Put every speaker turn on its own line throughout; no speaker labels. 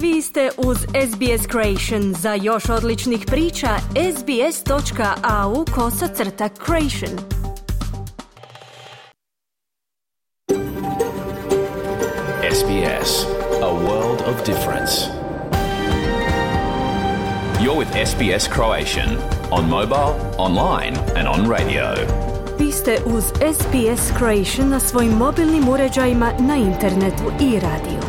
Vi ste uz SBS Creation. Za još odličnih priča, sbs.au/creation.
SBS, a world of difference. You're with SBS Croatian on mobile, online and on radio.
Vi ste uz SBS Creation na svojim mobilnim uređajima, na internetu i radiju.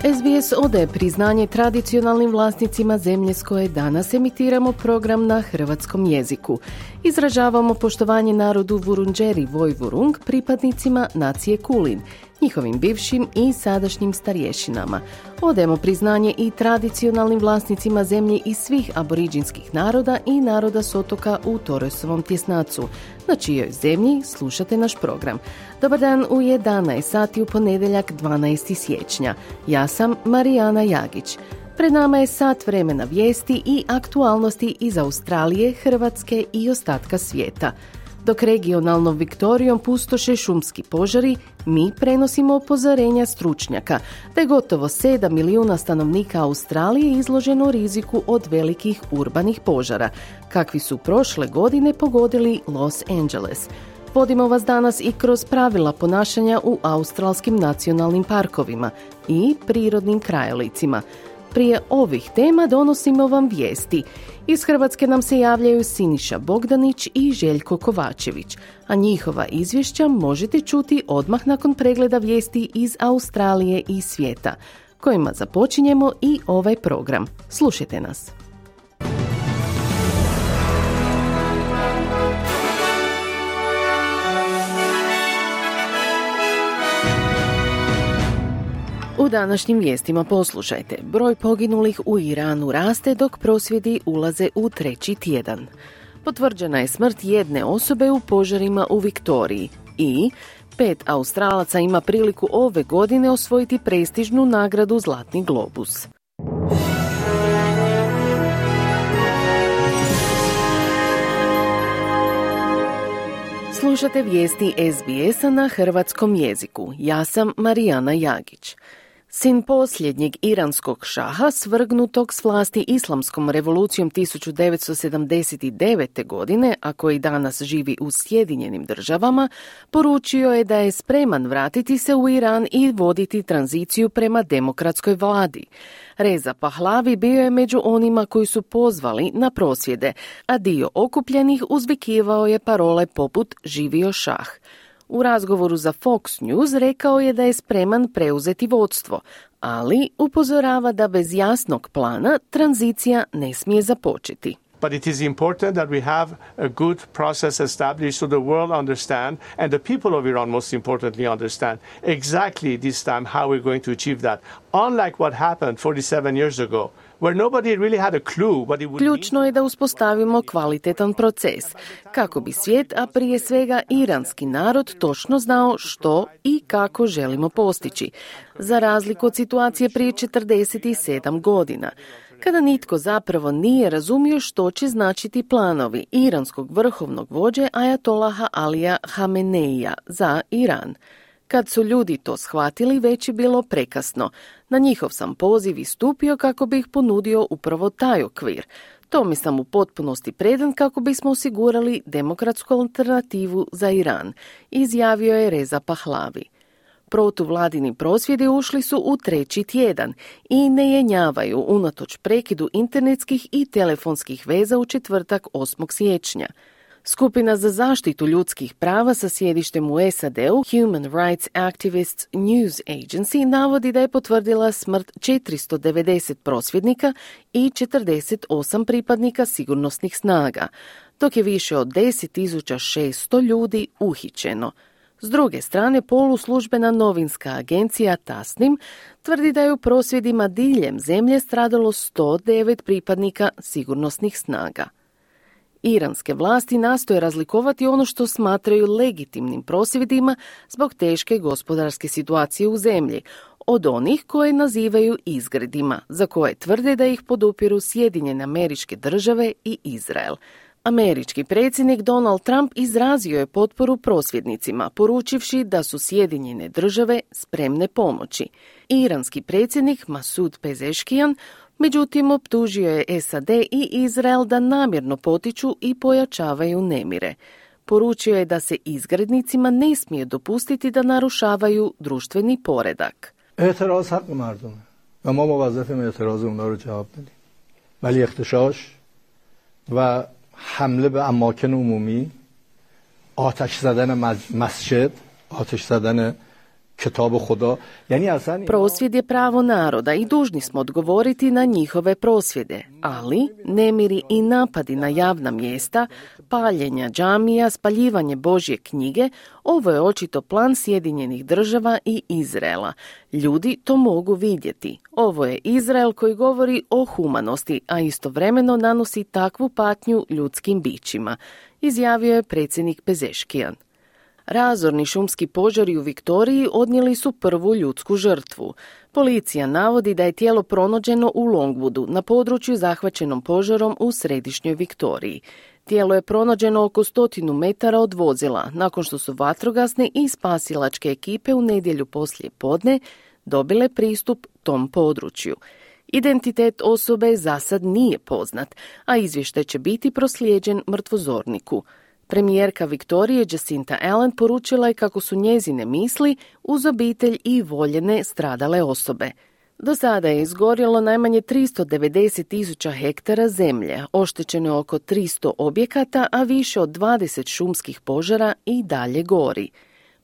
SBS odaje priznanje tradicionalnim vlasnicima zemlje s koje danas emitiramo program na hrvatskom jeziku. Izražavamo poštovanje narodu Vurundjeri Vojvurung, pripadnicima nacije Kulin, njihovim bivšim i sadašnjim starješinama. Odajemo priznanje i tradicionalnim vlasnicima zemlje iz svih aboriđinskih naroda i naroda s otoka u Torresovom tjesnacu, na čijoj zemlji slušate naš program. Dobar dan u 11 sati u ponedjeljak 12. siječnja. Ja sam Marijana Jagić. Pred nama je sat vremena vijesti i aktualnosti iz Australije, Hrvatske i ostatka svijeta. Dok regionalnom Viktorijom pustoše šumski požari, mi prenosimo upozorenja stručnjaka da je gotovo 7 milijuna stanovnika Australije izloženo riziku od velikih urbanih požara, kakvi su prošle godine pogodili Los Angeles. Vodimo vas danas i kroz pravila ponašanja u australskim nacionalnim parkovima i prirodnim krajolicima. Prije ovih tema donosimo vam vijesti. Iz Hrvatske nam se javljaju Siniša Bogdanić i Željko Kovačević, a njihova izvješća možete čuti odmah nakon pregleda vijesti iz Australije i svijeta, kojima započinjemo i ovaj program. Slušajte nas. U današnjim vijestima poslušajte. Broj poginulih u Iranu raste dok prosvjedi ulaze u treći tjedan. Potvrđena je smrt jedne osobe u požarima u Viktoriji i 5 Australaca ima priliku ove godine osvojiti prestižnu nagradu Zlatni globus. Slušate vijesti SBS-a na hrvatskom jeziku. Ja sam Marijana Jagić. Sin posljednjeg iranskog šaha, svrgnutog s vlasti islamskom revolucijom 1979. godine, a koji danas živi u Sjedinjenim državama, poručio je da je spreman vratiti se u Iran i voditi tranziciju prema demokratskoj vladi. Reza Pahlavi bio je među onima koji su pozvali na prosvjede, a dio okupljenih uzvikivao je parole poput "Živio šah". U razgovoru za Fox News rekao je da je spreman preuzeti vodstvo, ali upozorava da bez jasnog plana tranzicija ne smije započeti.
But it is important that we have a good process established so the world understand and the people of Iran most importantly understand exactly this time how we're going to achieve that. Unlike what happened 47 years ago, where nobody really had a clue what it would mean.
Ključno je da uspostavimo kvalitetan proces, kako bi svijet, a prije svega iranski narod, točno znao što i kako želimo postići, za razliku od situacije prije 47 godina, kada nitko zapravo nije razumio što će značiti planovi iranskog vrhovnog vođe Ajatolaha Alija Hameneija za Iran. Kad su ljudi to shvatili, već je bilo prekasno. Na njihov sam poziv istupio kako bih ponudio upravo taj okvir. Tome sam u potpunosti predan kako bismo osigurali demokratsku alternativu za Iran, izjavio je Reza Pahlavi. Protuvladini prosvjedi ušli su u treći tjedan i ne jenjavaju unatoč prekidu internetskih i telefonskih veza u četvrtak 8. siječnja. Skupina za zaštitu ljudskih prava sa sjedištem u SAD-u, Human Rights Activists News Agency, navodi da je potvrdila smrt 490 prosvjednika i 48 pripadnika sigurnosnih snaga, dok je više od 10.600 ljudi uhićeno. S druge strane, poluslužbena novinska agencija Tasnim tvrdi da je u prosvjedima diljem zemlje stradalo 109 pripadnika sigurnosnih snaga. Iranske vlasti nastoje razlikovati ono što smatraju legitimnim prosvjedima zbog teške gospodarske situacije u zemlji, od onih koje nazivaju izgredima, za koje tvrde da ih podupiru Sjedinjene Američke Države i Izrael. Američki predsjednik Donald Trump izrazio je potporu prosvjednicima, poručivši da su Sjedinjene države spremne pomoći. Iranski predsjednik Masoud Pezeshkian međutim optužio je SAD i Izrael da namjerno potiču i pojačavaju nemire. Poručio je da se izgrednicima ne smije dopustiti da narušavaju društveni poredak.
اعتراض حق مردمه و ما موظفیم اعتراض اونها رو جواب بدیم. ولی اختشاش و حمله به اماکن عمومی، آتش زدن مسجد، آتش زدن کتاب خدا، یعنی اصلا
prosvjed je pravo naroda i dužni smo odgovoriti na njihove prosvjede, ali nemiri i napadi na javna mjesta, paljenja džamija, spaljivanje Božje knjige, ovo je očito plan Sjedinjenih država i Izraela. Ljudi to mogu vidjeti. Ovo je Izrael koji govori o humanosti, a istovremeno nanosi takvu patnju ljudskim bićima, izjavio je predsjednik Pezeshkian. Razorni šumski požari u Viktoriji odnijeli su prvu ljudsku žrtvu. Policija navodi da je tijelo pronađeno u Longwoodu, na području zahvaćenom požarom u središnjoj Viktoriji. Tijelo je pronađeno oko 100 metara od vozila, nakon što su vatrogasne i spasilačke ekipe u nedjelju poslije podne dobile pristup tom području. Identitet osobe za sad nije poznat, a izvještaj će biti proslijeđen mrtvozorniku. Premijerka Viktorije Jacinta Allen poručila je kako su njezine misli uz obitelj i voljene stradale osobe. Do sada je izgorjelo najmanje 390.000 hektara zemlje, oštećeno je oko 300 objekata, a više od 20 šumskih požara i dalje gori.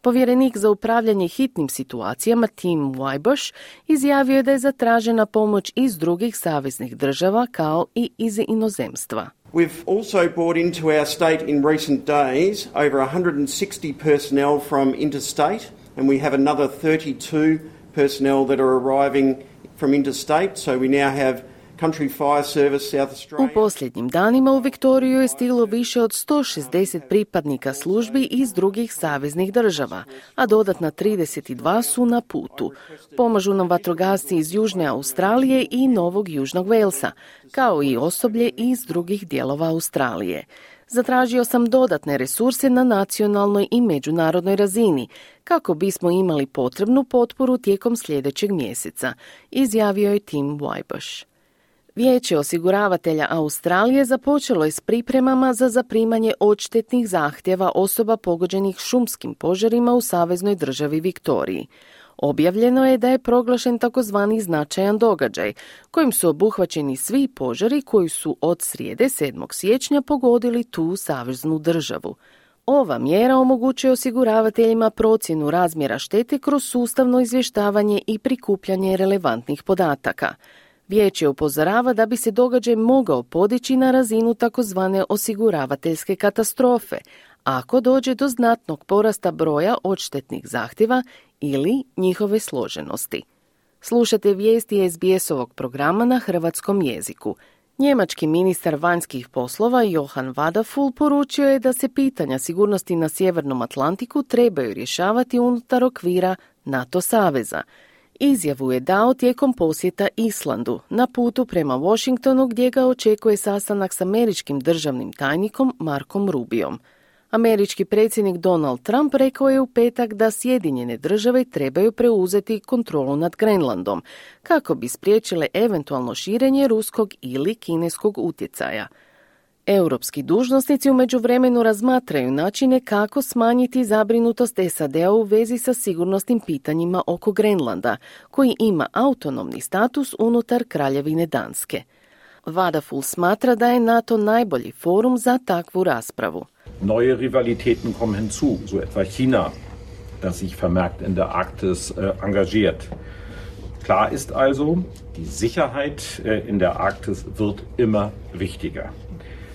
Povjerenik za upravljanje hitnim situacijama Tim Wybush izjavio je da je zatražena pomoć iz drugih saveznih država kao i iz inozemstva.
We've also brought into our state in recent days over 160 personnel from interstate, and we have another 32 personnel that are arriving from interstate, so we now have Country Fire Service South Australia.
U posljednjim danima u Viktoriju je stiglo više od 160 pripadnika službi iz drugih saveznih država, a dodatna 32 su na putu. Pomažu nam vatrogasci iz Južne Australije i Novog Južnog Velsa, kao i osoblje iz drugih dijelova Australije. Zatražio sam dodatne resurse na nacionalnoj i međunarodnoj razini, kako bismo imali potrebnu potporu tijekom sljedećeg mjeseca, izjavio je Tim Wybush. Vijeće osiguravatelja Australije započelo je s pripremama za zaprimanje odštetnih zahtjeva osoba pogođenih šumskim požarima u saveznoj državi Viktoriji. Objavljeno je da je proglašen takozvani značajan događaj, kojim su obuhvaćeni svi požari koji su od srijede 7. siječnja pogodili tu saveznu državu. Ova mjera omogućuje osiguravateljima procjenu razmjera štete kroz sustavno izvještavanje i prikupljanje relevantnih podataka. Vijeće upozorava da bi se događaj mogao podići na razinu takozvane osiguravateljske katastrofe, ako dođe do znatnog porasta broja odštetnih zahtjeva ili njihove složenosti. Slušate vijesti SBS-ovog programa na hrvatskom jeziku. Njemački ministar vanjskih poslova Johann Vadaful poručio je da se pitanja sigurnosti na Sjevernom Atlantiku trebaju rješavati unutar okvira NATO saveza. Izjavu je dao tijekom posjeta Islandu, na putu prema Washingtonu gdje ga očekuje sastanak s američkim državnim tajnikom Markom Rubiom. Američki predsjednik Donald Trump rekao je u petak da Sjedinjene države trebaju preuzeti kontrolu nad Grenlandom, kako bi spriječile eventualno širenje ruskog ili kineskog utjecaja. Europski dužnosnici u međuvremenu razmatraju načine kako smanjiti zabrinutost SAD-a u vezi sa sigurnosnim pitanjima oko Grenlanda, koji ima autonomni status unutar Kraljevine Danske. Vadaful smatra da je NATO najbolji forum za takvu raspravu.
Neue Rivalitäten kommen hinzu, so etwa China, das sich vermehrt in der Arktis engagiert. Klar ist also, die Sicherheit in der Arktis wird immer wichtiger.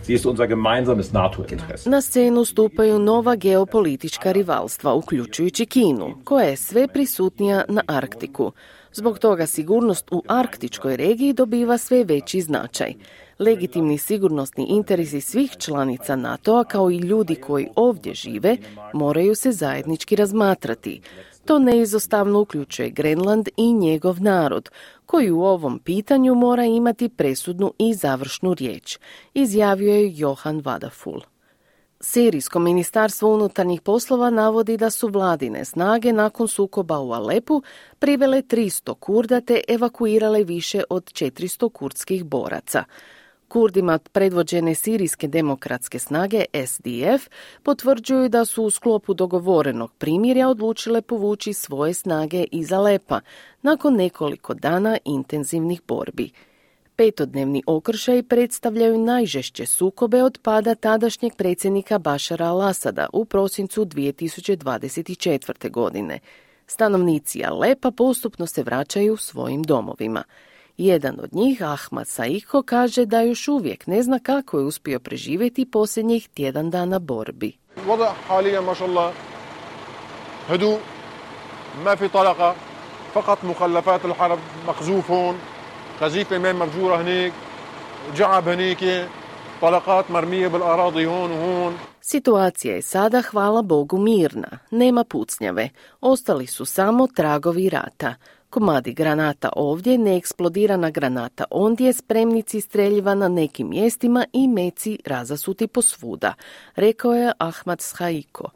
Sie ist unser gemeinsames NATO-Interesse.
Na scenu stupaju nova geopolitička rivalstva, uključujući Kinu, koja je sve prisutnija na Arktiku. Zbog toga sigurnost u arktičkoj regiji dobiva sve veći značaj. Legitimni sigurnosni interesi svih članica NATO-a, kao i ljudi koji ovdje žive, moraju se zajednički razmatrati. To neizostavno uključuje Grenland i njegov narod, koji u ovom pitanju mora imati presudnu i završnu riječ, izjavio je Johan Vadaful. Sirijsko ministarstvo unutarnjih poslova navodi da su vladine snage nakon sukoba u Alepu privele 300 Kurda te evakuirale više od 400 kurdskih boraca. Kurdima predvođene Sirijske demokratske snage SDF potvrđuju da su u sklopu dogovorenog primirja odlučile povući svoje snage iz Alepa nakon nekoliko dana intenzivnih borbi. 5-dnevni okršaj predstavljaju najžešće sukobe od pada tadašnjeg predsjednika Bašara al-Asada u prosincu 2024. godine. Stanovnici Alepa postupno se vraćaju svojim domovima. Jedan od njih, Ahmad Saiko, kaže da još uvijek ne zna kako je uspio preživjeti posljednjih tjedan dana borbi.
الوضع حاليا ما شاء الله هدوء ما في طلقة فقط مخلفات الحرب مقذوف هون قذيفة ما مفجورة هنيك جعب هنيك طلقات مرمية بالأراضي هون وهون.
Situacija je sada, hvala Bogu, mirna. Nema pucnjave. Ostali su samo tragovi rata. Komadi granata ovdje, neeksplodirana granata ondje, spremnici streljiva na nekim mjestima i meci razasuti posvuda, rekao je Ahmad Saiko.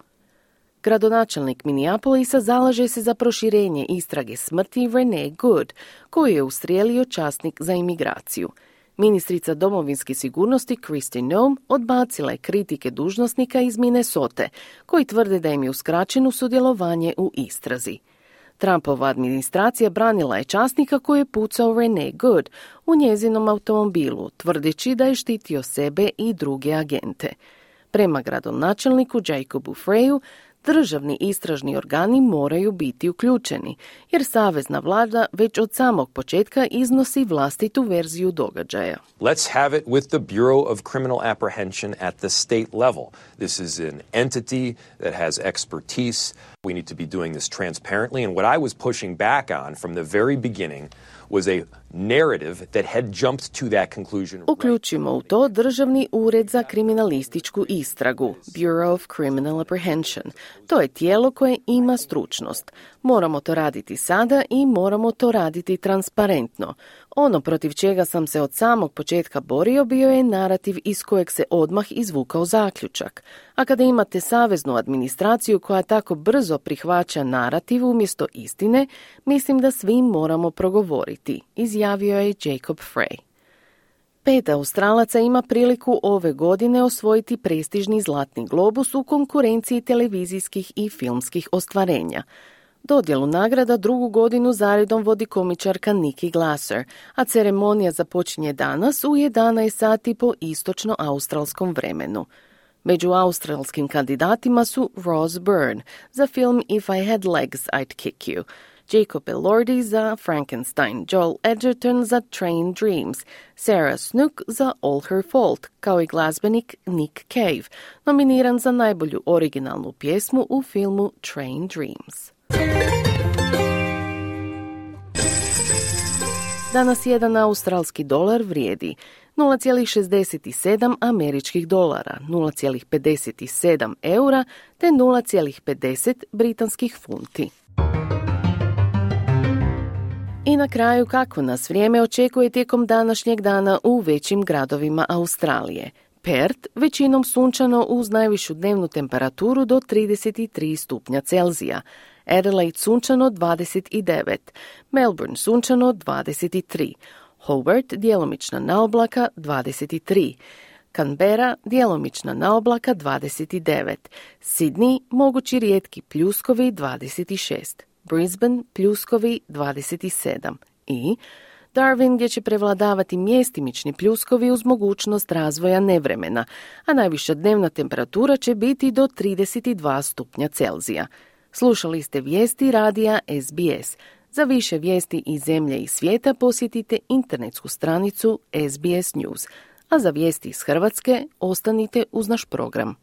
Gradonačelnik Minneapolisa zalaže se za proširenje istrage smrti Renee Good, koju je ustrijelio časnik za imigraciju. Ministrica domovinske sigurnosti Kristi Noem odbacila je kritike dužnosnika iz Minnesote, koji tvrde da im je uskraćeno sudjelovanje u istrazi. Trumpova administracija branila je časnika koji je pucao Renee Good u njezinom automobilu, tvrdeći da je štitio sebe i druge agente. Prema gradonačelniku Jacobu Freyu, državni istražni organi moraju biti uključeni, jer savezna vlada već od samog početka iznosi vlastitu verziju događaja.
Let's have it with the Bureau of Criminal Apprehension at the state level. This is an entity that has expertise. We need to be doing this transparently. And what I was pushing back on from the very beginning was a narrative that had jumped to that conclusion.
Uključimo u to Državni ured za kriminalističku istragu, Bureau of Criminal Apprehension. To je tijelo koje ima stručnost. Moramo to raditi sada i moramo to raditi transparentno. Ono protiv čega sam se od samog početka borio bio je narativ iz kojeg se odmah izvukao zaključak. A kada imate saveznu administraciju koja tako brzo prihvaća narativ umjesto istine, mislim da svi moramo progovoriti, izjavio je Jacob Frey. 5 Australaca ima priliku ove godine osvojiti prestižni Zlatni globus u konkurenciji televizijskih i filmskih ostvarenja. Dodjelu nagrada drugu godinu zaredom vodi komičarka Nikki Glasser, a ceremonija započinje danas u 11 sati po istočno-australskom vremenu. Među australskim kandidatima su Ross Byrne za film If I Had Legs, I'd Kick You, Jacob Elordi za Frankenstein, Joel Edgerton za Train Dreams, Sarah Snook za All Her Fault, kao i glazbenik Nick Cave, nominiran za najbolju originalnu pjesmu u filmu Train Dreams. Danas jedan australski dolar vrijedi 0,67 američkih dolara, 0,57 eura te 0,50 britanskih funti. I na kraju, kako nas vrijeme očekuje tijekom današnjeg dana u većim gradovima Australije. Perth većinom sunčano uz najvišu dnevnu temperaturu do 33 stupnja Celzija. Adelaide sunčano 29, Melbourne sunčano 23, Hobart djelomična naoblaka 23, Canberra djelomična naoblaka 29, Sydney mogući rijetki pljuskovi 26, Brisbane pljuskovi 27 i Darwin gdje će prevladavati mjestimični pljuskovi uz mogućnost razvoja nevremena, a najviša dnevna temperatura će biti do 32 stupnja Celzija. Slušali ste vijesti radija SBS. Za više vijesti iz zemlje i svijeta posjetite internetsku stranicu SBS News. A za vijesti iz Hrvatske ostanite uz naš program.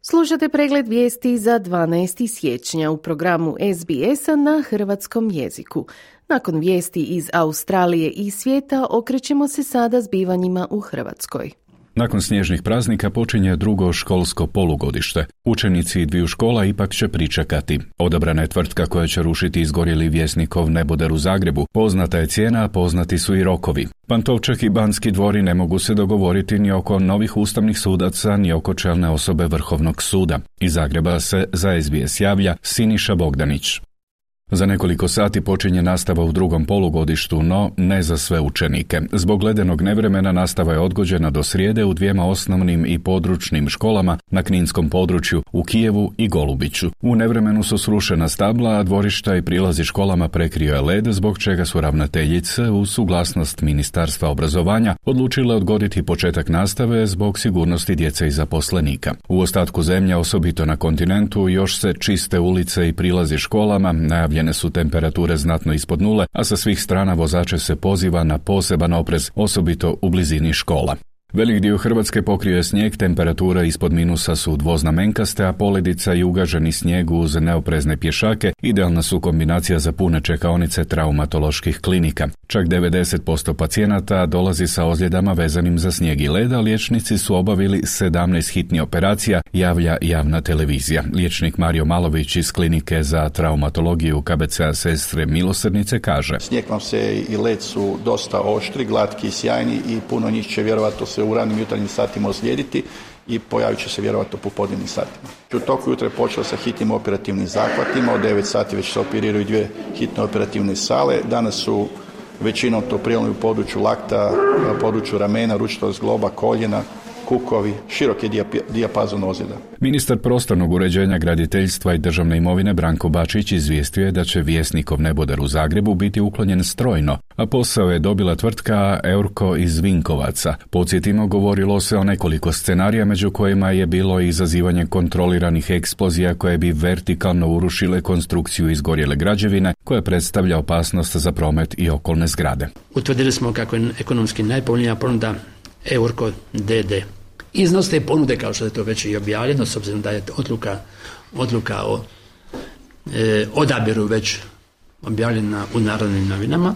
Slušate Slušate pregled vijesti za 12. siječnja u programu SBS-a na hrvatskom jeziku. Nakon vijesti iz Australije i svijeta okrećemo se sada zbivanjima u Hrvatskoj.
Nakon snježnih praznika počinje drugo školsko polugodište. Učenici dviju škola ipak će pričekati. Odabrana je tvrtka koja će rušiti izgorjeli Vjesnikov neboder u Zagrebu. Poznata je cijena, a poznati su i rokovi. Pantovčak i Banski dvori ne mogu se dogovoriti ni oko novih ustavnih sudaca, ni oko čelne osobe Vrhovnog suda. Iz Zagreba se za SBS javlja Siniša Bogdanić. Za nekoliko sati počinje nastava u drugom polugodištu, no ne za sve učenike. Zbog ledenog nevremena nastava je odgođena do srijede u dvijema osnovnim i područnim školama na kninskom području u Kijevu i Golubiću. U nevremenu su srušena stabla, a dvorišta i prilazi školama prekrio je led, zbog čega su ravnateljice uz suglasnost Ministarstva obrazovanja odlučile odgoditi početak nastave zbog sigurnosti djece i zaposlenika. U ostatku zemlje, osobito na kontinentu, još se čiste ulice i prilazi školama, najavljene su temperature znatno ispod nule, a sa svih strana vozače se poziva na poseban oprez, osobito u blizini škola. Velik dio Hrvatske pokrio je snijeg, temperature ispod minusa su dvoznamenkaste, a poledica i ugaženi snijeg uz neoprezne pješake idealna su kombinacija za pune čekaonice traumatoloških klinika. Čak 90% pacijenata dolazi sa ozljedama vezanim za snijeg i led, a liječnici su obavili 17 hitnih operacija, javlja javna televizija. Liječnik Mario Malović iz klinike za traumatologiju KBC-a Sestre Milosrdnice kaže:
snijeg vam se i led su dosta oštri, glatki i sjajni i puno njih će vjerovatno se u ranim jutarnjim satima ozlijediti i pojavit će se vjerovatno u popodnevnim satima. U toku jutra je počelo sa hitnim operativnim zahvatima, od 9 sati već se operiraju 2 hitne operativne sale. Danas su većinom to prijelomi u području lakta, području ramena, ručnog zgloba, koljena, kukovi, širok je dijapazon ozljeda.
Ministar prostornog uređenja, graditeljstva i državne imovine Branko Bačić izvijestio je da će Vjesnikov neboder u Zagrebu biti uklonjen strojno, a posao je dobila tvrtka Eurko iz Vinkovaca. Podsjetimo, govorilo se o nekoliko scenarija, među kojima je bilo i izazivanje kontroliranih eksplozija koje bi vertikalno urušile konstrukciju izgorjele građevine, koja predstavlja opasnost za promet i okolne zgrade.
Utvrdili smo kako je ekonomski najpovoljnija ponuda Eurko d.d. Iznos te ponude, kao što je to već i objavljeno, s obzirom da je odluka o odabiru već objavljena u Narodnim novinama,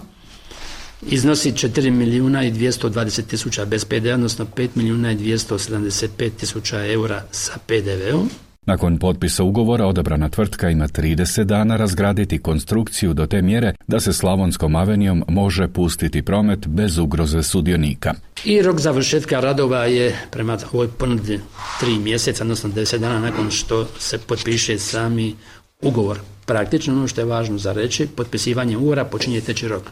iznosi 4.220.000 bez PDV, odnosno 5.275.000 eura sa PDV-om.
Nakon potpisa ugovora odabrana tvrtka ima 30 dana razgraditi konstrukciju do te mjere da se Slavonskom avenijom može pustiti promet bez ugroze sudionika.
I rok završetka radova je prema ovoj ponudi 3 mjeseca, odnosno 10 dana nakon što se potpiše sami ugovor. Praktično ono što je važno za reći, potpisivanje ugovora počinje teći rok.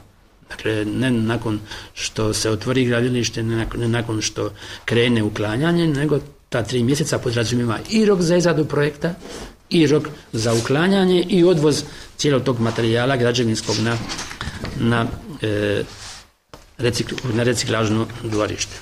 Dakle, ne nakon što se otvori gradilište, ne nakon što krene uklanjanje, nego ta 3 mjeseca podrazumijeva i rok za izradu projekta, i rok za uklanjanje i odvoz cijelog tog materijala građevinskog na reciklažno dvorište.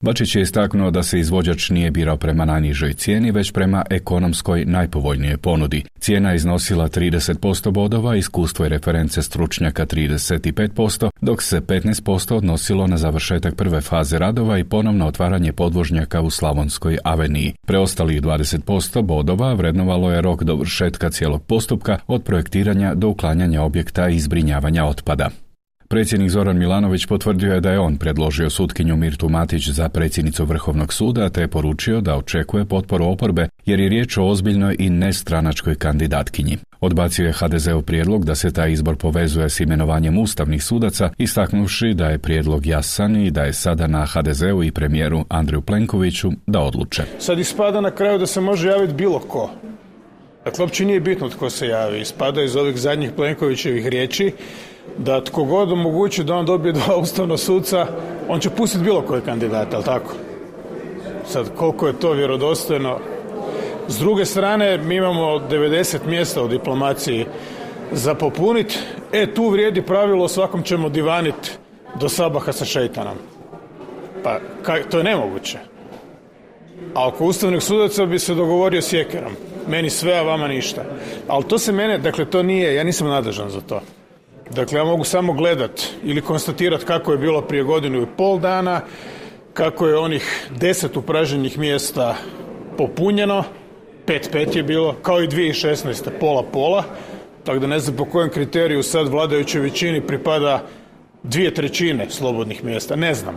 Bačić je istaknuo da se izvođač nije birao prema najnižoj cijeni, već prema ekonomskoj najpovoljnijoj ponudi. Cijena je iznosila 30% bodova, iskustvo i reference stručnjaka 35%, dok se 15% odnosilo na završetak prve faze radova i ponovno otvaranje podvožnjaka u Slavonskoj aveniji. Preostalih 20% bodova vrednovalo je rok dovršetka cijelog postupka od projektiranja do uklanjanja objekta i zbrinjavanja otpada. Predsjednik Zoran Milanović potvrdio je da je on predložio sutkinju Mirtu Matić za predsjednicu Vrhovnog suda, te je poručio da očekuje potporu oporbe jer je riječ o ozbiljnoj i nestranačkoj kandidatkinji. Odbacio je HDZ-ov prijedlog da se taj izbor povezuje s imenovanjem ustavnih sudaca, istaknuvši da je prijedlog jasan i da je sada na HDZ-u i premijeru Andreju Plenkoviću da odluče.
Sad ispada na kraju da se može javiti bilo ko. Dakle, uopće nije bitno tko se javi. Ispada iz ovih zadnjih Plenkovićevih riječi da tko god omogući da on dobije 2 ustavna suca, on će pustiti bilo koje kandidata, ali tako? Sad, koliko je to vjerodostojno? S druge strane, mi imamo 90 mjesta u diplomaciji za popuniti. Tu vrijedi pravilo, svakom ćemo divaniti do sabaha sa šejtanom. Pa, to je nemoguće. A oko ustavnih sudaca bi se dogovorio s Jekerom. Meni sve, a vama ništa. Ali to se mene, dakle, to nije, ja nisam nadležan za to. Dakle, ja mogu samo gledat ili konstatirat kako je bilo prije 1.5 dana, kako je onih 10 upražnjenih mjesta popunjeno 5-5 je bilo, kao i 2016. pola-pola, tako da ne znam po kojem kriteriju sad vladajućoj većini pripada 2/3 slobodnih mjesta, ne znam.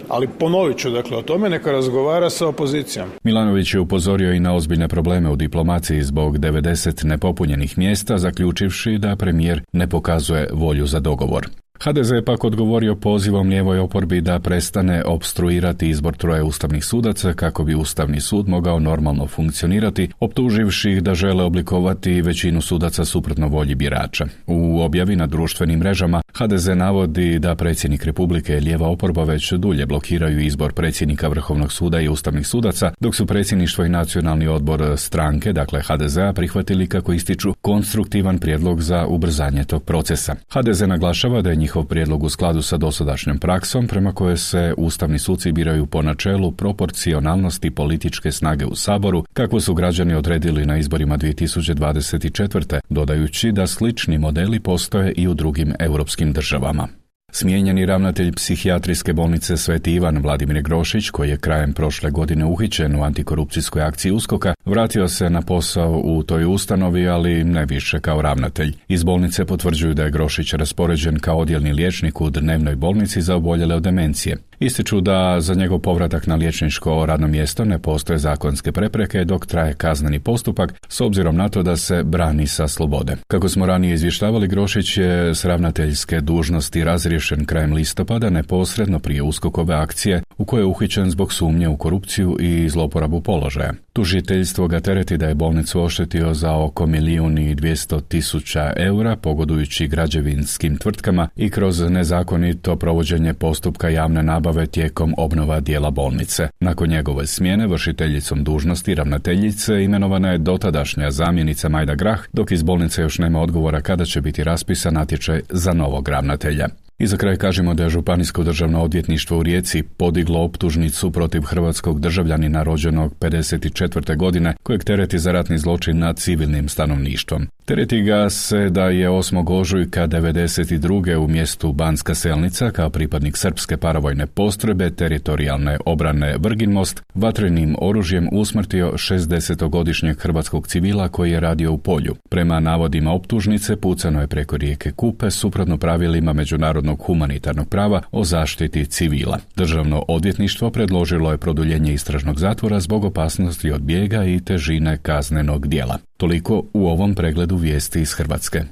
Ali ponovit ću, dakle, o tome neka razgovara sa opozicijom.
Milanović je upozorio i na ozbiljne probleme u diplomaciji zbog 90 nepopunjenih mjesta, zaključivši da premijer ne pokazuje volju za dogovor. HDZ je pak odgovorio pozivom lijevoj oporbi da prestane opstruirati izbor 3 ustavnih sudaca kako bi Ustavni sud mogao normalno funkcionirati, optuživši ih da žele oblikovati većinu sudaca suprotno volji birača. U objavi na društvenim mrežama HDZ navodi da predsjednik Republike i lijeva oporba već dulje blokiraju izbor predsjednika Vrhovnog suda i ustavnih sudaca, dok su predsjedništvo i nacionalni odbor stranke, dakle HDZ-a, prihvatili, kako ističu, konstruktivan prijedlog za ubrzanje tog procesa. HDZ naglašava da je njihov prijedlog u skladu sa dosadašnjom praksom prema kojoj se ustavni suci biraju po načelu proporcionalnosti političke snage u Saboru, kako su građani odredili na izborima 2024. dodajući da slični modeli postoje i u drugim europskim državama. Smijenjeni ravnatelj psihijatrijske bolnice Sveti Ivan Vladimir Grošić, koji je krajem prošle godine uhićen u antikorupcijskoj akciji USKOK-a, vratio se na posao u toj ustanovi, ali ne više kao ravnatelj. Iz bolnice potvrđuju da je Grošić raspoređen kao odjelni liječnik u dnevnoj bolnici za oboljele od demencije. Ističu da za njegov povratak na liječničko radno mjesto ne postoje zakonske prepreke dok traje kazneni postupak, s obzirom na to da se brani sa slobode. Kako smo ranije izvještavali, Grošić je s ravnateljske dužnosti razriješen krajem listopada neposredno prije USKOK-ove akcije u kojoj je uhićen zbog sumnje u korupciju i zloporabu položaja. Tužiteljstvo ga tereti da je bolnicu oštetio za oko 1.200.000 eura pogodujući građevinskim tvrtkama i kroz nezakonito provođenje postupka javne nabave tijekom obnova dijela bolnice. Nakon njegove smjene vršiteljicom dužnosti ravnateljice imenovana je dotadašnja zamjenica Majda Grah, dok iz bolnice još nema odgovora kada će biti raspisan natječaj za novog ravnatelja. I za kraj kažemo da je Županijsko državno odvjetništvo u Rijeci podiglo optužnicu protiv hrvatskog državljanina rođenog 54. godine kojeg tereti za ratni zločin nad civilnim stanovništvom. Tereti ga se da je 8. ožujka 92. u mjestu Banska Selnica kao pripadnik srpske paravojne postrojbe teritorijalne obrane Vrginmost vatrenim oružjem usmrtio 60-godišnjeg hrvatskog civila koji je radio u polju. Prema navodima optužnice pucano je preko rijeke Kupe suprotno pravilima međunarodnog humanitarnog prava o zaštiti civila. Državno odvjetništvo predložilo je produljenje istražnog zatvora zbog opasnosti od bijega i težine kaznenog djela. Toliko u ovom pregledu vijesti iz Hrvatske.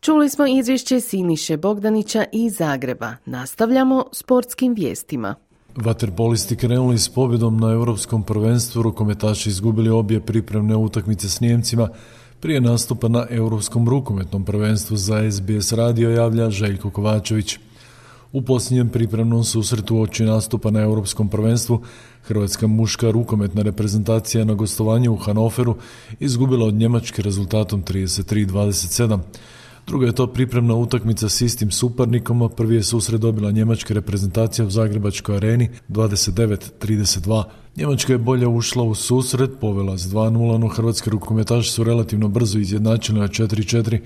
Čuli smo izvješće Siniše Bogdanića iz Zagreba. Nastavljamo sportskim vijestima.
Vaterpolisti krenuli s pobjedom na Europskom prvenstvu, rukometaši izgubili obje pripremne utakmice s Nijemcima prije nastupa na Europskom rukometnom prvenstvu. Za SBS radio javlja Željko Kovačević. U posljednjem pripremnom susretu uoči nastupa na Europskom prvenstvu hrvatska muška rukometna reprezentacija na gostovanju u Hanoveru izgubila od Njemačke rezultatom 33-27. Druga je to pripremna utakmica s istim suparnikom, a prvi je susret dobila njemačka reprezentacija u Zagrebačkoj areni 29-32. Njemačka je bolje ušla u susret, povela s 2-0, no hrvatski rukometaši su relativno brzo izjednačili na 4-4.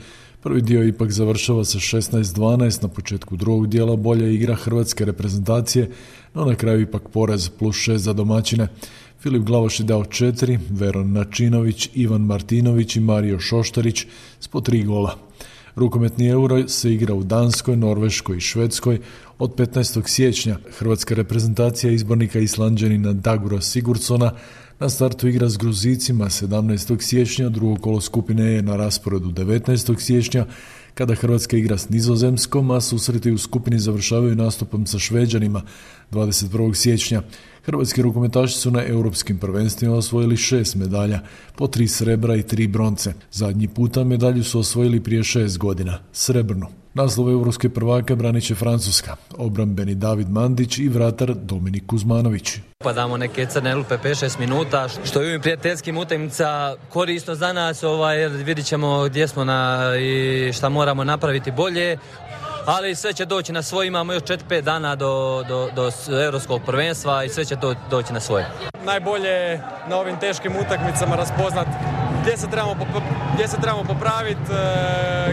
Prvi dio ipak završava sa 16-12, na početku drugog dijela bolja igra hrvatske reprezentacije, no na kraju ipak poraz +6 za domaćine. Filip Glavaš je dao 4, Veron Načinović, Ivan Martinović i Mario Šoštarić s po 3 gola. Rukometni euro se igra u Danskoj, Norveškoj i Švedskoj od 15. siječnja. Hrvatska reprezentacija izbornika Islanđanina Dagura Sigurdsona na startu igra s Gruzicima 17. siječnja, drugo kolo skupine je na rasporedu 19. siječnja, kada Hrvatska igra s Nizozemskom, a susreti u skupini završavaju nastupom sa Šveđanima 21. siječnja. Hrvatski rukometaši su na europskim prvenstvima osvojili 6 medalja, po 3 srebra i 3 bronce. Zadnji puta medalju su osvojili prije 6 godina, srebrnu. Naslov europske prvaka branit će Francuska, obrambeni David Mandić i vratar Dominik Kuzmanović.
Upadamo neke crne rupe 5-6 minuta, što je u ovim prijateljskim utakmicama korisno za nas, jer vidit ćemo gdje smo i šta moramo napraviti bolje. Ali sve će doći na svoje, imamo još 4-5 dana do europskog prvenstva i sve će doći na svoje.
Najbolje na ovim teškim utakmicama raspoznati gdje se trebamo popraviti,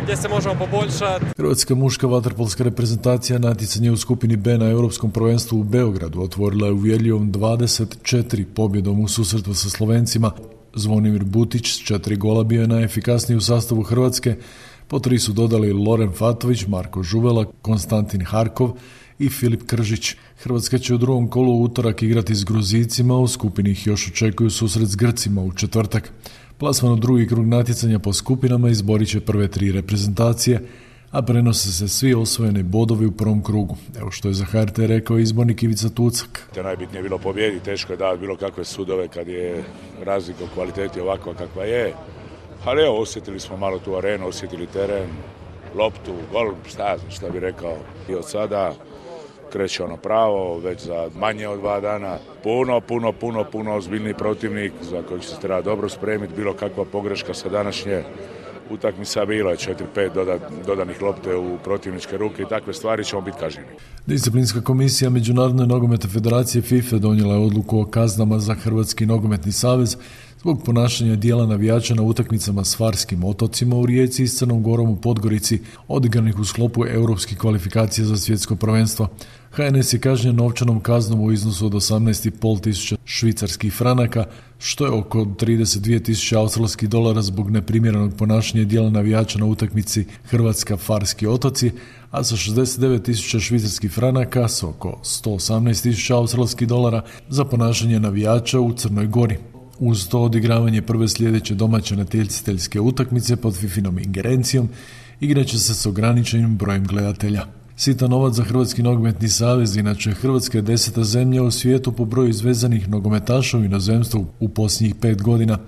gdje se možemo poboljšati.
Hrvatska muška vaterpolska reprezentacija natjecanje u skupini B na Europskom prvenstvu u Beogradu otvorila je uvjerljivom 24 pobjedom u susretu sa Slovencima. Zvonimir Butić s 4 gola bio je najefikasniji u sastavu Hrvatske, po 3 su dodali Loren Fatović, Marko Žuvela, Konstantin Harkov i Filip Kržić. Hrvatska će u drugom kolu u utorak igrati s Gruzijcima, u skupini ih još očekuju susret s Grcima u četvrtak. Plasman u drugi krug natjecanja po skupinama izborit će prve 3 reprezentacije, a prenose se svi osvojeni bodovi u prvom krugu. Evo što je za HRT rekao izbornik Ivica Tucak.
Najbitnije je bilo pobjedi, teško je davati bilo kakve sudove kad je razlika u kvaliteti ovakva kakva je. Ali evo, osjetili smo malo tu arenu, osjetili teren, loptu, gol, šta bi rekao. I od sada kreće ono pravo, već za manje od 2 dana. Puno ozbiljniji protivnik za kojeg će se treba dobro spremiti. Bilo kakva pogreška sa današnje utakmica bila je 4-5 dodanih lopte u protivničke ruke i takve stvari ćemo biti kažnjeni.
Disciplinska komisija Međunarodne nogometne federacije FIFA donijela je odluku o kaznama za Hrvatski nogometni savez zbog ponašanja dijela navijača na utakmicama s Farskim otocima u Rijeci i s Crnom Gorom u Podgorici, odigranih u sklopu europskih kvalifikacija za svjetsko prvenstvo. HNS je kažnjen novčanom kaznom u iznosu od 18.500 švicarskih franaka, što je oko 32.000 australskih dolara zbog neprimjerenog ponašanja dijela navijača na utakmici Hrvatska-Farski otoci, a sa 69.000 švicarskih franaka s oko 118.000 australskih dolara za ponašanje navijača u Crnoj Gori. Uz to odigravanje prve sljedeće domaće natjecateljske utakmice pod FIFInom ingerencijom igraće se s ograničenim brojem gledatelja. Sitan novac za Hrvatski nogometni savez, inače Hrvatska je 10. zemlja u svijetu po broju izvezanih nogometaša u inozemstvu u posljednjih 5 godina,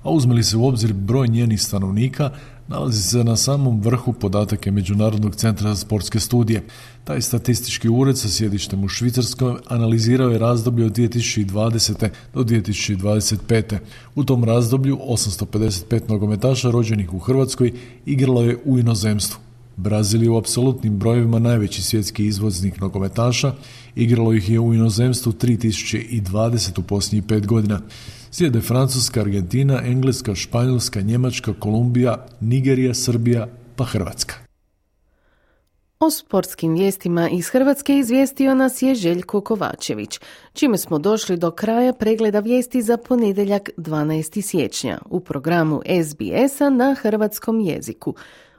a uzme li se u obzir broj njenih stanovnika, nalazi se na samom vrhu podataka Međunarodnog centra za sportske studije. Taj statistički ured sa sjedištem u Švicarskoj analizirao je razdoblje od 2020. do 2025. U tom razdoblju 855 nogometaša rođenih u Hrvatskoj igralo je u inozemstvu. Brazil je u apsolutnim brojevima najveći svjetski izvoznik nogometaša, igralo ih je u inozemstvu 3020 u posljednjih 5 godina. Slijede Francuska, Argentina, Engleska, Španjolska, Njemačka, Kolumbija, Nigerija, Srbija pa Hrvatska.
O sportskim vijestima iz Hrvatske izvijestio nas je Željko Kovačević, čime smo došli do kraja pregleda vijesti za ponedjeljak 12. siječnja u programu SBS-a na hrvatskom jeziku.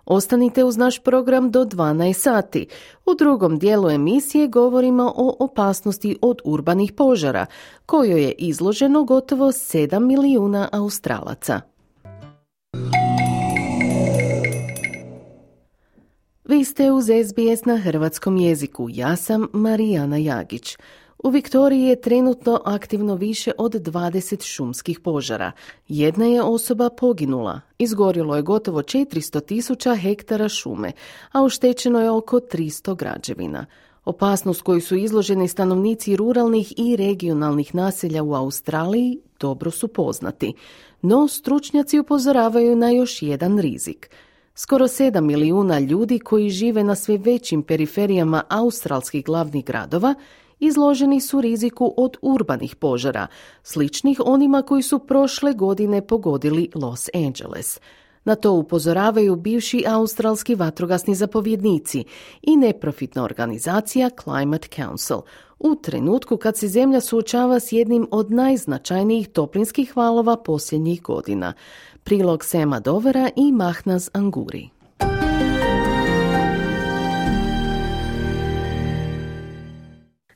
Ostanite uz naš program do 12 sati. U drugom dijelu emisije govorimo o opasnosti od urbanih požara, kojoj je izloženo gotovo 7 milijuna Australaca. Vi ste uz SBS na hrvatskom jeziku. Ja sam Marijana Jagić. U Viktoriji je trenutno aktivno više od 20 šumskih požara. Jedna je osoba poginula. Izgorjelo je gotovo 400.000 hektara šume, a oštećeno je oko 300 građevina. Opasnost koju su izloženi stanovnici ruralnih i regionalnih naselja u Australiji dobro su poznati. No, stručnjaci upozoravaju na još jedan rizik. Skoro 7 milijuna ljudi koji žive na sve većim periferijama australskih glavnih gradova izloženi su riziku od urbanih požara, sličnih onima koji su prošle godine pogodili Los Angeles. Na to upozoravaju bivši australski vatrogasni zapovjednici i neprofitna organizacija Climate Council, u trenutku kad se zemlja suočava s jednim od najznačajnijih toplinskih valova posljednjih godina. Prilog Sema Dovera i Mahnaz Anguri.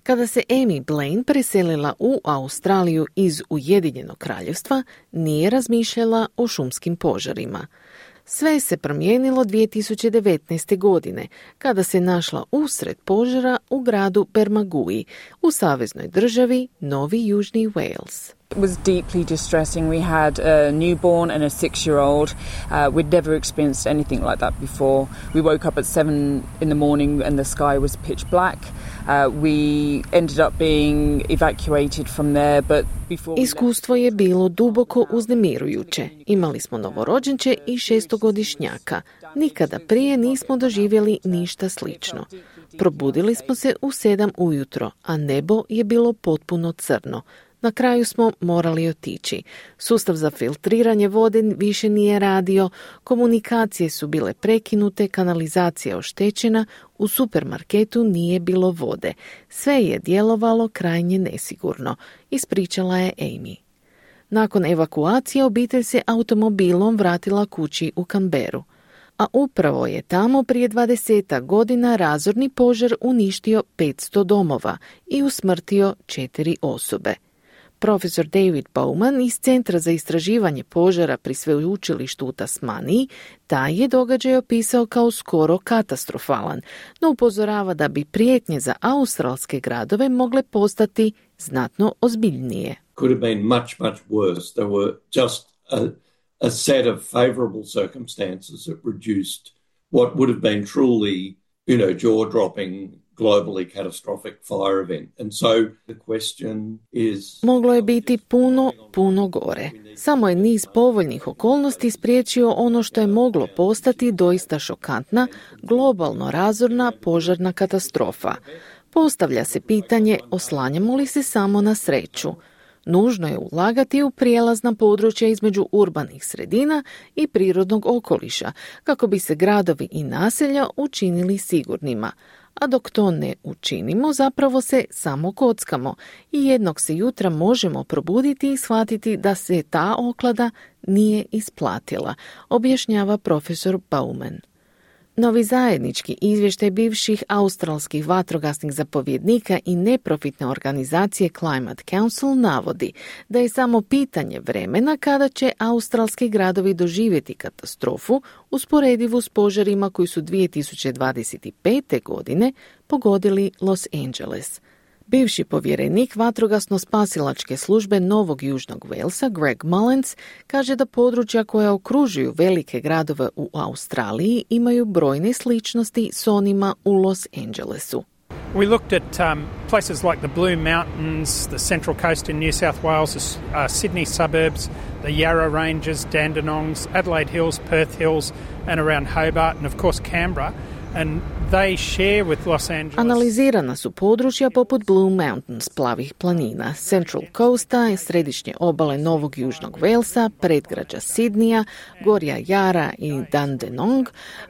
Kada se Amy Blaine preselila u Australiju iz Ujedinjenog kraljevstva, nije razmišljala o šumskim požarima. Sve se promijenilo 2019. godine, kada se našla usred požara u gradu Bermagui, u saveznoj državi Novi Južni Wales.
It was deeply distressing. We had a newborn and a 6-year-old. We'd never experienced anything like that before. We woke up at 7 in the morning and the sky was pitch black. We ended up being evacuated from there, but before...
Iskustvo je bilo duboko uznemirujuće. Imali smo novorođenče i 6-godišnjaka. Nikada prije nismo doživjeli ništa slično. Probudili smo se u 7 ujutro, a nebo je bilo potpuno crno. Na kraju smo morali otići. Sustav za filtriranje vode više nije radio, komunikacije su bile prekinute, kanalizacija oštećena, u supermarketu nije bilo vode. Sve je djelovalo krajnje nesigurno, ispričala je Amy. Nakon evakuacije obitelj se automobilom vratila kući u Canberru. A upravo je tamo prije 20 godina razorni požar uništio 500 domova i usmrtio 4 osobe. Profesor David Bowman iz Centra za istraživanje požara pri sveučilištu u Tasmaniji taj je događaj opisao kao skoro katastrofalan, no upozorava da bi prijetnje za australske gradove mogle postati znatno ozbiljnije.
Could have been much, much worse. There were just a set of favorable circumstances that reduced what would have been truly, jaw-dropping, globally catastrophic fire event. And so the question is...
Moglo je biti puno gore. Samo je niz povoljnih okolnosti spriječio ono što je moglo postati doista šokantna, globalno razorna požarna katastrofa. Postavlja se pitanje, oslanjamo li se samo na sreću? Nužno je ulagati u prijelazna područja između urbanih sredina i prirodnog okoliša, kako bi se gradovi i naselja učinili sigurnima. A dok to ne učinimo, zapravo se samo kockamo i jednog se jutra možemo probuditi i shvatiti da se ta oklada nije isplatila, objašnjava profesor Bowman. Novi zajednički izvještaj bivših australskih vatrogasnih zapovjednika i neprofitne organizacije Climate Council navodi da je samo pitanje vremena kada će australski gradovi doživjeti katastrofu usporedivu s požarima koji su 2025. godine pogodili Los Angeles. Bivši povjerenik vatrogasno-spasilačke službe Novog Južnog Walesa, Greg Mullins, kaže da područja koja okružuju velike gradove u Australiji imaju brojne sličnosti s onima u Los Angelesu.
We looked at places like the Blue Mountains, the Central Coast in New South Wales, the Sydney suburbs, the Yarra Ranges, Dandenongs, Adelaide Hills, Perth Hills, and around Hobart, and of course Canberra. And they share with Los Angeles.
Analizirana su područja poput Blue Mountains, plavih planina, Central Coasta, središnje obale Novog Južnog Walesa, predgrađa Sidneya, gorja Yarra i Dandenong,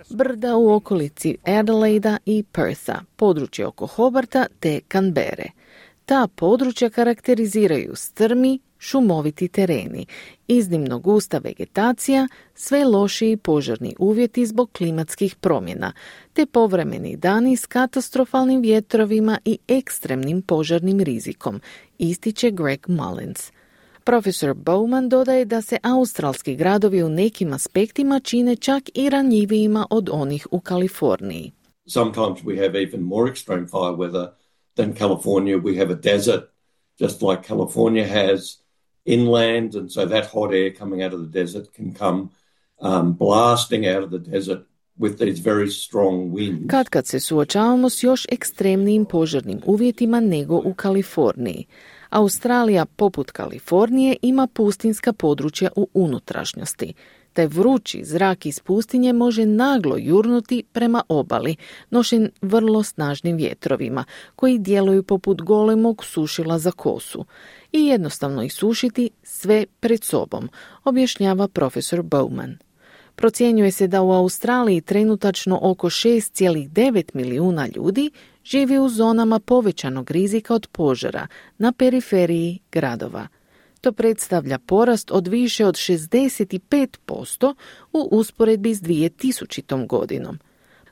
brda u okolici Adelaida i Pertha, područje oko Hobarta te Canberre. Ta područja karakteriziraju strmi, šumoviti tereni, iznimno gusta vegetacija, sve lošiji požarni uvjeti zbog klimatskih promjena, te povremeni dani s katastrofalnim vjetrovima i ekstremnim požarnim rizikom, ističe Greg Mullins. Profesor Bowman dodaje da se australski gradovi u nekim aspektima čine čak i ranjivijima od onih u Kaliforniji.
Sometimes we have even more extreme fire weather than California. We have a desert, just like California has inland, and so that hot air coming out of the desert can come blasting out of the desert with these very strong winds.
Kad se suočavamo s još ekstremnijim požarnim uvjetima nego u Kaliforniji. Australija, poput Kalifornije, ima pustinska područja u unutrašnjosti. Taj vrući zrak iz pustinje može naglo jurnuti prema obali, nošen vrlo snažnim vjetrovima, koji djeluju poput golemog sušila za kosu, i jednostavno isušiti sve pred sobom, objašnjava profesor Bowman. Procjenjuje se da u Australiji trenutačno oko 6,9 milijuna ljudi živi u zonama povećanog rizika od požara na periferiji gradova. To predstavlja porast od više od 65% u usporedbi s 2000. godinom.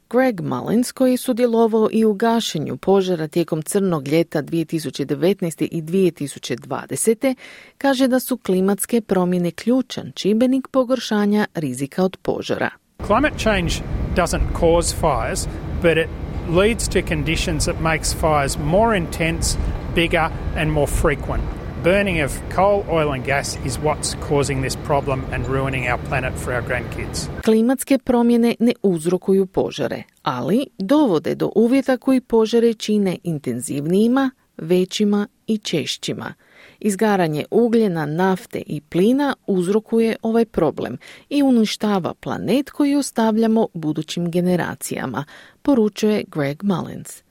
Greg Mullins, koji je sudjelovao i u gašenju požara tijekom crnog ljeta 2019. i 2020. kaže da su klimatske promjene ključan čimbenik pogoršanja rizika od požara.
Climate change doesn't cause fires, but it leads to conditions that makes fires more intense, bigger and more frequent. Burning of coal, oil and gas is what's causing this problem and ruining our planet for our grandkids.
Klimatske promjene ne uzrokuju požare, ali dovode do uvjeta koji požare čine intenzivnijima, većima i češćima. Izgaranje ugljena, nafte i plina uzrokuje ovaj problem i uništava planet koji ostavljamo budućim generacijama, poručuje Greg Mullins.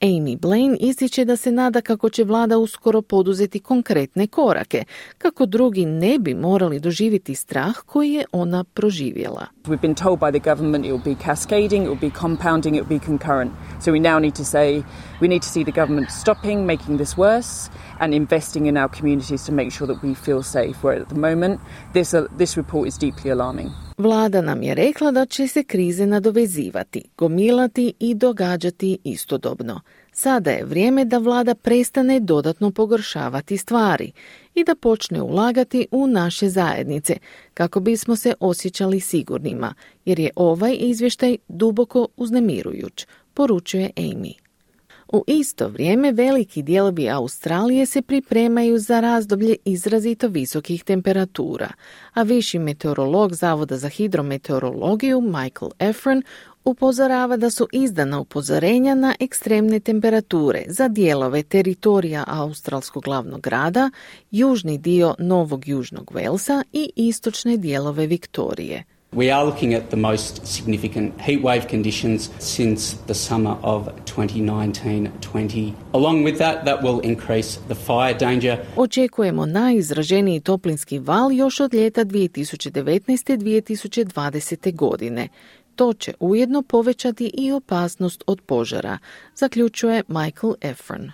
Amy Blaine ističe da se nada kako će vlada uskoro poduzeti konkretne korake, kako drugi ne bi morali doživjeti strah koji je ona proživjela.
We've been told by the government it will be cascading, it will be compounding, it will be concurrent. So we now need to say we need to see the government stopping making this worse and investing in our communities to make sure that we feel safe. Where at the moment this report is deeply alarming.
Vlada nam je rekla da će se krize nadovezivati, gomilati i događati istodobno. Sada je vrijeme da vlada prestane dodatno pogoršavati stvari i da počne ulagati u naše zajednice kako bismo se osjećali sigurnima, jer je ovaj izvještaj duboko uznemirujuć, poručuje Amy. U isto vrijeme veliki dijelovi Australije se pripremaju za razdoblje izrazito visokih temperatura, a viši meteorolog Zavoda za hidrometeorologiju Michael Efron upozorava da su izdana upozorenja na ekstremne temperature za dijelove teritorija australskog glavnog grada, južni dio Novog Južnog Walesa i istočne dijelove Viktorije.
We are looking at the most significant heat wave conditions since the summer of 2019-20. Along with that will increase the fire danger.
Očekujemo najizraženiji toplinski val još od ljeta 2019-2020. godine. To će ujedno povećati i opasnost od požara, zaključuje Michael Efron.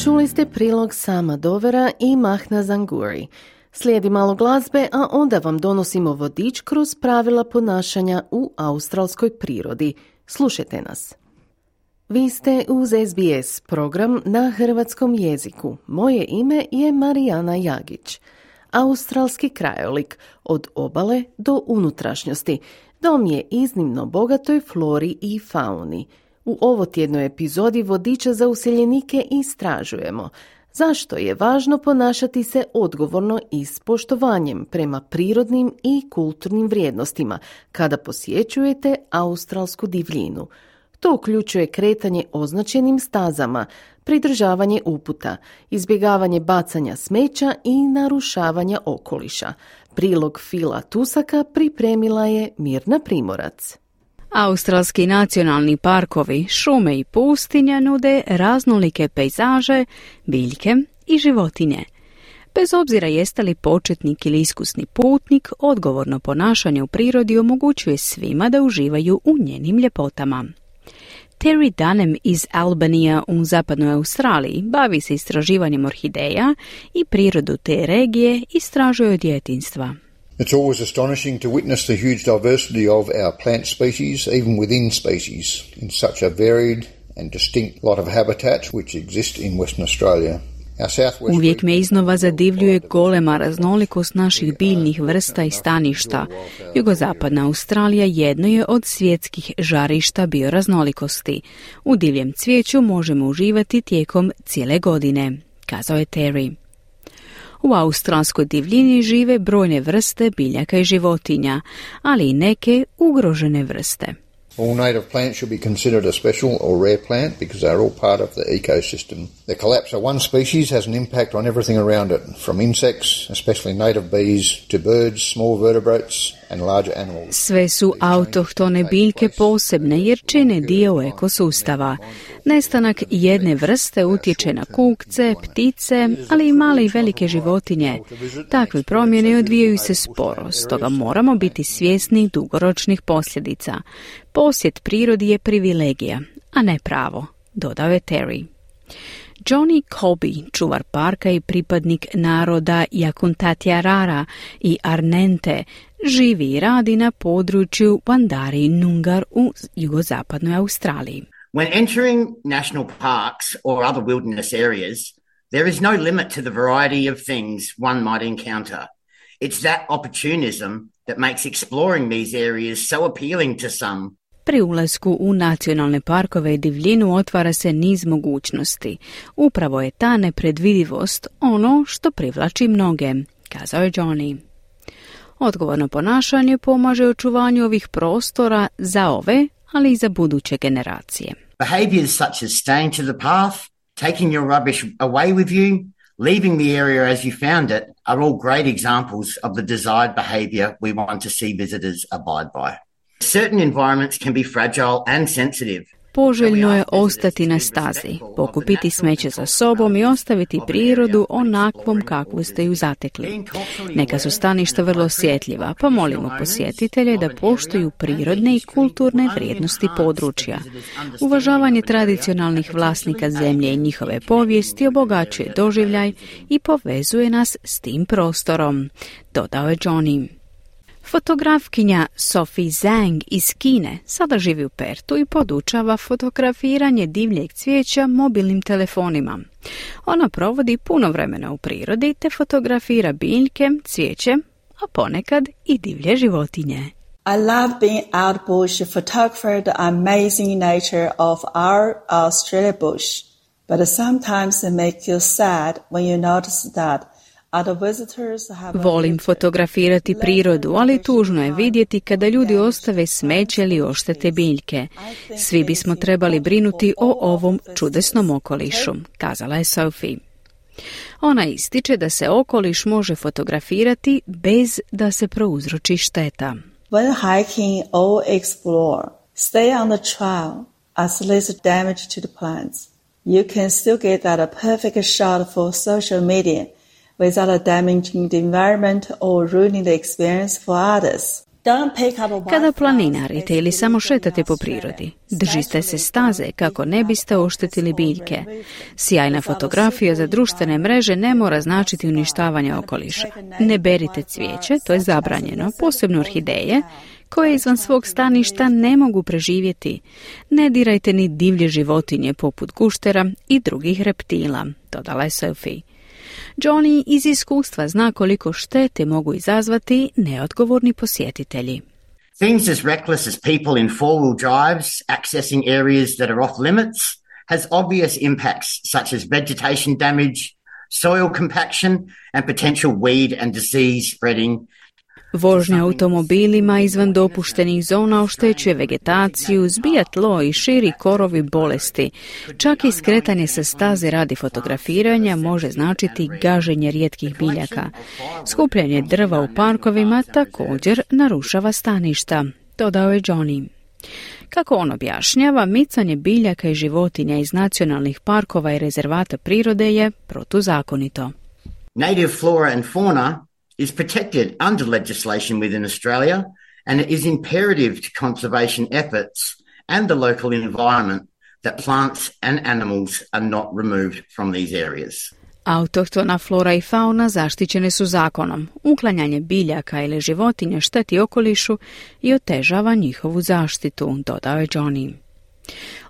Čuli ste prilog Sama Dovera i Mahna Zanguri. Slijedi malo glazbe, a onda vam donosimo vodič kroz pravila ponašanja u australskoj prirodi. Slušajte nas. Vi ste uz SBS program na hrvatskom jeziku. Moje ime je Marijana Jagić. Australski krajolik od obale do unutrašnjosti. Dom je iznimno bogatoj flori i fauni. U ovotjednoj epizodi vodiča za useljenike istražujemo zašto je važno ponašati se odgovorno i s poštovanjem prema prirodnim i kulturnim vrijednostima kada posjećujete australsku divljinu. To uključuje kretanje označenim stazama, pridržavanje uputa, izbjegavanje bacanja smeća i narušavanja okoliša. Prilog Fila Tusaka pripremila je Mirna Primorac.
Australski nacionalni parkovi, šume i pustinja nude raznolike pejzaže, biljke i životinje. Bez obzira jeste li početnik ili iskusni putnik, odgovorno ponašanje u prirodi omogućuje svima da uživaju u njenim ljepotama. Terry Dunham iz Albanija u zapadnoj Australiji bavi se istraživanjem orhideja i prirodu te regije istražuje od djetinjstva.
It's always astonishing to witness the huge diversity of our plant species, even within species, in such a varied and distinct lot of habitat which exist in Western Australia.
Uvijek me iznova zadivljuje golema raznolikost naših biljnih vrsta i staništa. Jugozapadna Australija jedno je od svjetskih žarišta bioraznolikosti. U divljem cvijeću možemo uživati tijekom cijele godine, kazao je Terry. U australskoj divljini žive brojne vrste biljaka i životinja, ali i neke ugrožene vrste.
All native plants should be considered a special or rare plant because they are all part of the ecosystem. The collapse of one species has an impact on everything around it, from insects, especially native bees, to birds, small vertebrates and larger animals.
Sve su autohtone biljke posebne jer čine dio ekosustava. Nestanak jedne vrste utječe na kukce, ptice, ali i male i velike životinje. Takve promjene odvijaju se sporo, stoga moramo biti svjesni dugoročnih posljedica. Posjet prirodi je privilegija, a ne pravo, dodao je Terry. Johnny Colby, čuvar parka i pripadnik naroda Yakuntatiarara i Arnente, živi i radi na području Wandari Nungar u jugozapadnoj Australiji.
When entering national parks or other wilderness areas, there is no limit to the variety of things one might encounter. It's that opportunism that makes exploring these areas so appealing to some.
Pri ulasku u nacionalne parkove i divljinu otvara se niz mogućnosti. Upravo je ta nepredvidivost ono što privlači mnoge, kazao je Johnny. Odgovorno ponašanje pomaže očuvanju ovih prostora za ove, ali i za buduće generacije.
Behaviours such as staying to the path, taking your rubbish away with you, leaving the area as you found it are all great examples of the desired behaviour we want to see visitors abide by. Certain environments can be fragile and sensitive.
Poželjno je ostati na stazi, pokupiti smeće za sobom i ostaviti prirodu onakvom kakvu ste ju zatekli. Neka su staništa vrlo osjetljiva, pa molimo posjetitelje da poštuju prirodne i kulturne vrijednosti područja. Uvažavanje tradicionalnih vlasnika zemlje i njihove povijesti obogaćuje doživljaj i povezuje nas s tim prostorom, dodao je Johnny. Fotografkinja Sophie Zhang iz Kine sada živi u Pertu i podučava fotografiranje divljeg cvijeća mobilnim telefonima. Ona provodi puno vremena u prirodi te fotografira biljke, cvijeće, a ponekad i divlje životinje.
I love being out bush to photograph the amazing nature of our Australia bush, but sometimes it makes you sad when you notice that
Volim fotografirati prirodu, ali tužno je vidjeti kada ljudi ostave smeće ili oštete biljke. Svi bismo trebali brinuti o ovom čudesnom okolišu, kazala je Sophie. Ona ističe da se okoliš može fotografirati bez da se prouzroči šteta.
When hiking or explore, stay on the trail as least damage to the plants. You can still get a perfect shot for social media without damaging the environment or ruining the experience for others.
Kada planinarite ili samo šetate po prirodi, držite se staze kako ne biste oštetili biljke. Sjajna fotografija za društvene mreže ne mora značiti uništavanje okoliša. Ne berite cvijeće, to je zabranjeno, posebno orhideje, koje izvan svog staništa ne mogu preživjeti. Ne dirajte ni divlje životinje poput guštera i drugih reptila, dodala je Sophie. Johnny iz iskustva zna koliko štete mogu izazvati neodgovorni posjetitelji.
Things as reckless as people in four-wheel drives accessing areas that are off limits has obvious impacts such as vegetation damage, soil compaction and potential weed and disease spreading.
Vožnja automobilima izvan dopuštenih zona oštećuje vegetaciju, zbija tlo i širi korovi bolesti. Čak i skretanje sa staze radi fotografiranja može značiti gaženje rijetkih biljaka. Skupljanje drva u parkovima također narušava staništa, dodao je Johnny. Kako on objašnjava, micanje biljaka i životinja iz nacionalnih parkova i rezervata prirode je protuzakonito.
Native flora and fauna is protected under legislation within Australia, and it is imperative to conservation efforts and the local environment that plants and animals are not removed from these areas.
Autohtona flora i fauna zaštićene su zakonom. Uklanjanje biljaka ili životinja šteti okolišu i otežava njihovu zaštitu, dodao je Johnny.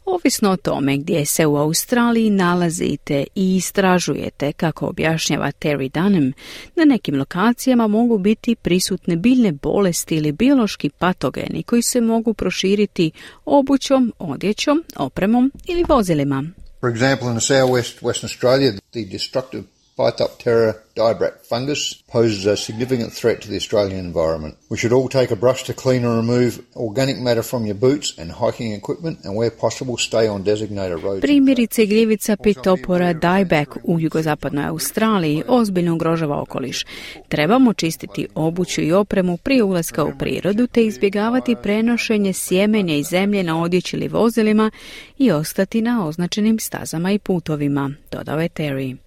Ovisno o tome gdje se u Australiji nalazite i istražujete, kako objašnjava Terry Dunham, na nekim lokacijama mogu biti prisutne biljne bolesti ili biološki patogeni koji se mogu proširiti obućom, odjećom, opremom ili vozilima.
For example, in the southwest Western Australia, the destructive Phytophthora dibrach fungus poses a significant threat to the Australian environment. We should all take a brush to clean and remove organic matter from your boots and hiking equipment, and where possible stay on designated roads.
Primjerice, gljivica Phytophthora dibrach u jugozapadnoj Australiji ozbiljno ugrožava okoliš. Trebamo čistiti obuću i opremu prije ulaska u prirodu te izbjegavati prenošenje sjemenja i zemlje na odjeći ili vozilima i ostati na označenim stazama i putovima, dodao je Terry.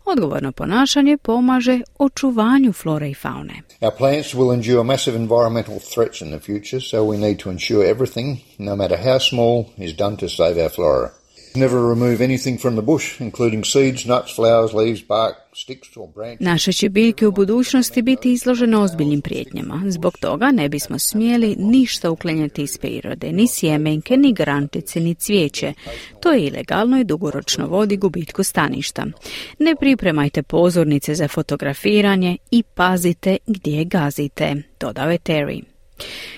Odgovorno ponašanje pomaže očuvanju flore i faune.
Our plants will endure massive environmental threats in the future, so we need to ensure everything, no matter how small, is done to save our flora. Never remove anything from the bush, including seeds, nuts, flowers, leaves, bark, sticks or branches.
Naše će biljke u budućnosti biti izložene ozbiljnim prijetnjama. Zbog toga ne bismo smjeli ništa uklanjati iz prirode, ni sjemenke, ni grančice, ni cvijeće. To je ilegalno i dugoročno vodi gubitku staništa. Ne pripremajte pozornice za fotografiranje i pazite gdje gazite, dodao je Terry.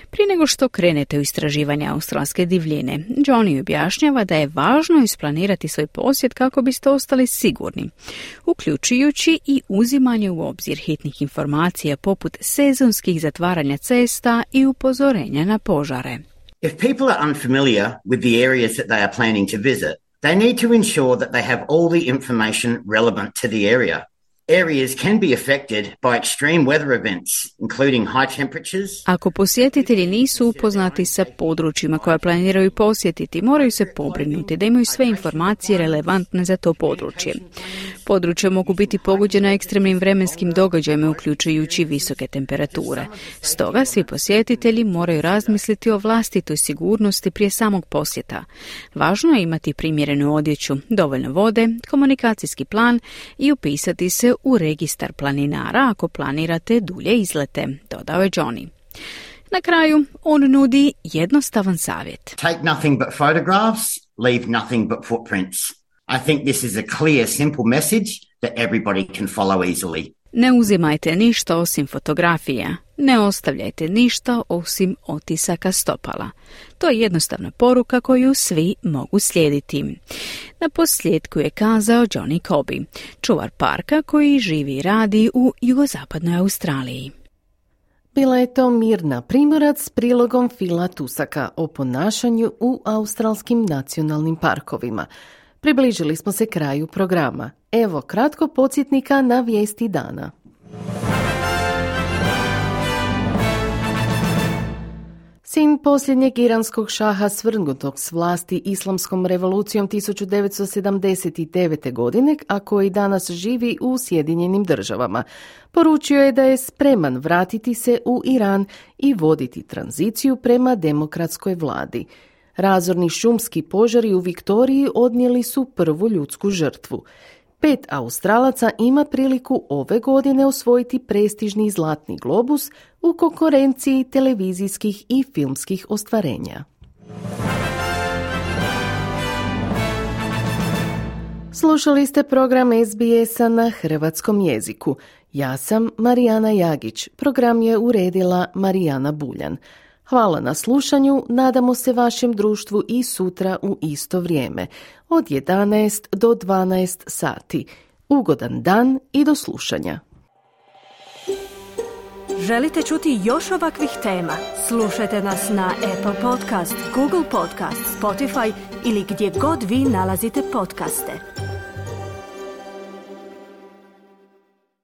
Prije nego što krenete u istraživanje australske divljine, Johnny objašnjava da je važno isplanirati svoj posjet kako biste ostali sigurni, uključujući i uzimanje u obzir hitnih informacija poput sezonskih zatvaranja cesta i upozorenja na požare.
If people are unfamiliar with the areas that they are planning to visit, they need to ensure that they have all the information relevant to the area. Areas can be affected by extreme weather events, including high temperatures.
Ako posjetitelji nisu upoznati sa područjima koja planiraju posjetiti, moraju se pobrinuti da imaju sve informacije relevantne za to područje. Područja mogu biti pogođena ekstremnim vremenskim događajima, uključujući visoke temperature. Stoga svi posjetitelji moraju razmisliti o vlastitoj sigurnosti prije samog posjeta. Važno je imati primjerenu odjeću, dovoljno vode, komunikacijski plan i upisati se u registar planinara ako planirate dulje izlete, dodao je Johnny. Na kraju, on nudi jednostavan savjet.
Take nothing but photographs, leave nothing but footprints. I think this is a clear, simple message that everybody can follow easily.
Ne uzimajte ništa osim fotografija. Ne ostavljajte ništa osim otisaka stopala. To je jednostavna poruka koju svi mogu slijediti. Na posljedku je kazao Johnny Coby, čuvar parka koji živi i radi u jugozapadnoj Australiji.
Bila je to Mirna Primorac s prilogom Phila Tusaka o ponašanju u australskim nacionalnim parkovima. Približili smo se kraju programa. Evo kratko podsjetnika na vijesti dana. Sin posljednjeg iranskog šaha svrgnutog s vlasti islamskom revolucijom 1979. godine, a koji danas živi u Sjedinjenim Državama, poručio je da je spreman vratiti se u Iran i voditi tranziciju prema demokratskoj vladi. Razorni šumski požari u Viktoriji odnijeli su prvu ljudsku žrtvu. 5 Australaca ima priliku ove godine osvojiti prestižni Zlatni globus u konkurenciji televizijskih i filmskih ostvarenja. Slušali ste program SBS-a na hrvatskom jeziku. Ja sam Marijana Jagić. Program je uredila Marijana Buljan. Hvala na slušanju, nadamo se vašem društvu i sutra u isto vrijeme, od 11 do 12 sati. Ugodan dan i do slušanja.
Želite čuti još ovakvih tema? Slušajte nas na Apple Podcast, Google Podcast, Spotify ili gdje god vi nalazite podcaste.